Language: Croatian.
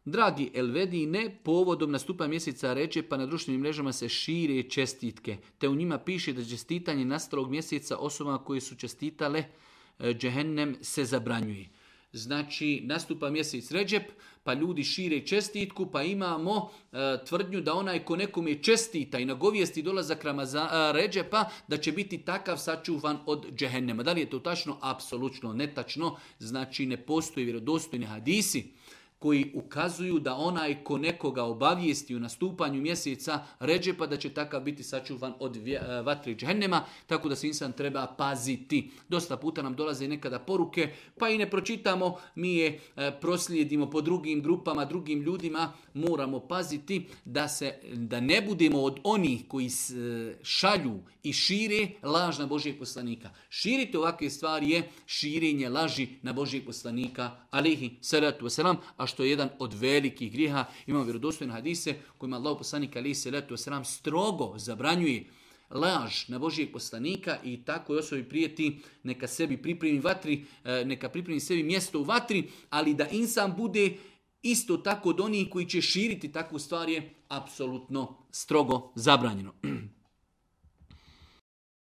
Dragi Elvedine, povodom nastupa mjeseca Redžepa na društvenim mrežama se šire čestitke, te u njima piše da čestitanje nastalog mjeseca osobama koje su čestitale džehennem se zabranjuje. Znači, nastupa mjesec Redžep, pa ljudi šire čestitku, pa imamo tvrdnju da onaj ko nekome čestita i nagovijesti dolazak Redžepa, da će biti takav sačuvan od džehennema. Da li je to tačno? Apsolutno netačno. Znači, ne postoji vjerodostojni hadisi koji ukazuju da onaj ko nekoga obavijesti u nastupanju mjeseca Redžepa da će takav biti sačuvan od vatre džehennema, tako da se insan treba paziti. Dosta puta nam dolaze nekada poruke, pa i ne pročitamo, mi je proslijedimo po drugim grupama, drugim ljudima, moramo paziti da ne budemo od onih koji šalju i šire laž na Božijeg poslanika. Širiti ovakve stvari je širenje laži na Božijeg poslanika, alejhi salatu wasalam, a što je jedan od velikih grijeha. Imamo vjerodostojne hadise kojima Allah poslanik alejhi salatu wasalam strogo zabranjuje laž na Božijeg poslanika i takvoj osobi prijeti neka sebi pripremi vatri, neka pripremi sebi mjesto u vatri, ali da insan bude isto tako od onih koji će širiti takvu stvar je apsolutno strogo zabranjeno.